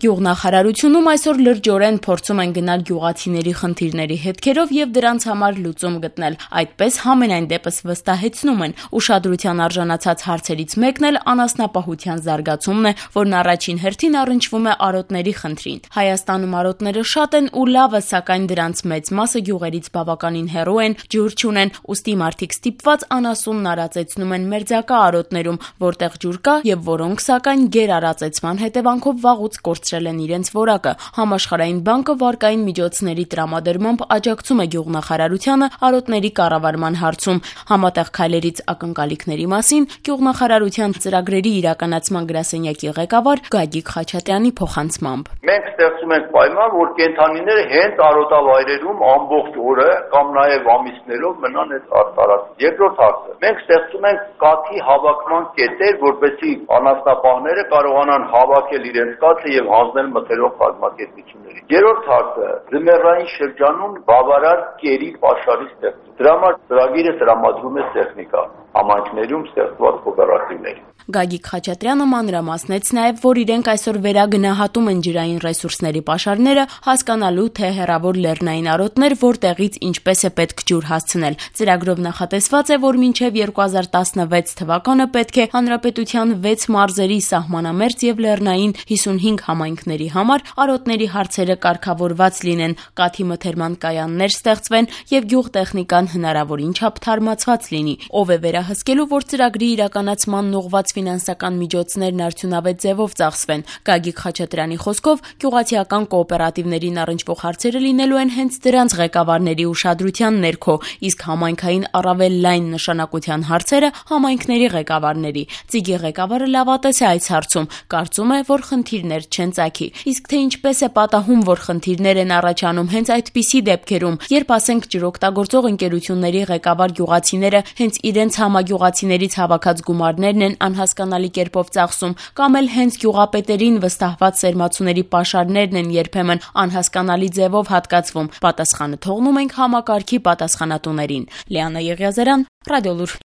Գյուղնախարարությունում այսօր լրջորեն փորձում են գնալ գյուղացիների խնդիրների հետքերով եւ դրանց համար լուծում գտնել, այդպես համենայն դեպս վստահեցնում են։ Ուշադրության արժանացած հարցերից մեկն էլ անասնապահության զարգացումն է, որն առաջին հերթին առնչվում է արոտների խնդրին։ Հայաստանում արոտները շատ են ու լավ է, սակայն դրանց մեծ մասը գյուղերից բավականին հեռու են, ջուր չունեն, ուստի մարդիկ ստիպված անասունն արածեցնում են մերձակա արոտներում, որտեղ ջուր կա եւ որոնք սակայն գերարածեցման հետևանքով վաղուց կորցրել են իրենց որակը։ Համաշխարհային բանկը վարկային միջոցների տրամադրմամբ աջակցում է գյուղնախարարությանը արոտների կառավարման հարցում։ Համատեղ քայլերից ակնկալիքների մասին գյուղնախարարության ծրագրերի իրականացման գրասենյակի ղեկավար Գագիկ Խաչատրյանի փոխանցմամբ. Մենք ստեղծում ենք պայման, որ կենդանիները հենց արոտավայրերում ամբողջ օրը կամ նաև ամիսներով մնան այդ տարածքում։ Երկրորդ հարցը. մենք ստեղծում ենք կաթի հավաքման կետեր, որպեսզի անասնապահները կարողանան հավաքել իրենց կաթը եւ հանձնել մթերող կազմակերպությունների։ Երրորդ հարցը ձմեռային շրջանում բավարար կերի պաշարի ստեղծում։ Դրա համար ծրագիրը տրամադրում է տեխնիկա համայնքներում ստեղծված կոոպերատիվների։ Գագիկ Խաչատրյանը մանրամասնեց նաև, որ իրենք այսօր վերագնահատում են ջրային ռեսուրսների պաշարները, հասկանալու թե հեռավոր լեռնային արոտներ որտեղից ինչպես է պետք ջուր հասցնել։ Ծրագրով նախատեսված է, որ մինչև 2016 թվականը պետք է հանրապետության 6 մարզերի սահմանամերձ եւ լեռնային 55 համայնքների համար արոտների հարցերը կարգավորված լինեն, կաթի մթերման կայաններ ստեղծվեն եւ գյուղտեխնիկան հնարավորին չափ թարմացված լինի։ Ով է վերահսկելու, որ ծրագրի իրականացման ուղղված ֆինանսական միջոցներն արդյունավետ ձևով ծախսվեն։ Գագիկ Խաչատրյանի խոսքով գյուղացիական կոոպերատիվներին առնչվող հարցերը լինելու են հենց դրանց ղեկավարների ուշադրության ներքո, իսկ համայնքային առավել լայն նշանակության հարցերը համայնքների ղեկավարների։ Ծիգի ղեկավարը լավատես է այս հարցում, կարծում է, որ խնդիրներ չեն ծագի։ Իսկ թե ինչպես է պատահում, որ խնդիրներ են առաջանում հենց այդպիսի դեպքերում, երբ ասենք ջրօգտագործող ընկերությունների ղեկավար գյուղացիները հենց իրենց համագյուղացիներից հավաքած գումարներն են անհասկանալի կերպով ծախսում, կամ էլ հենց գյուղապետերին վստահված սերմացուների պաշարներն են երբեմն անհասկանալի ձևով հատկացվում, պատասխանը թողնում ենք համակարգի պատասխանատուներին։ Լիանա Եղիազարյան, Ռադիոլուր։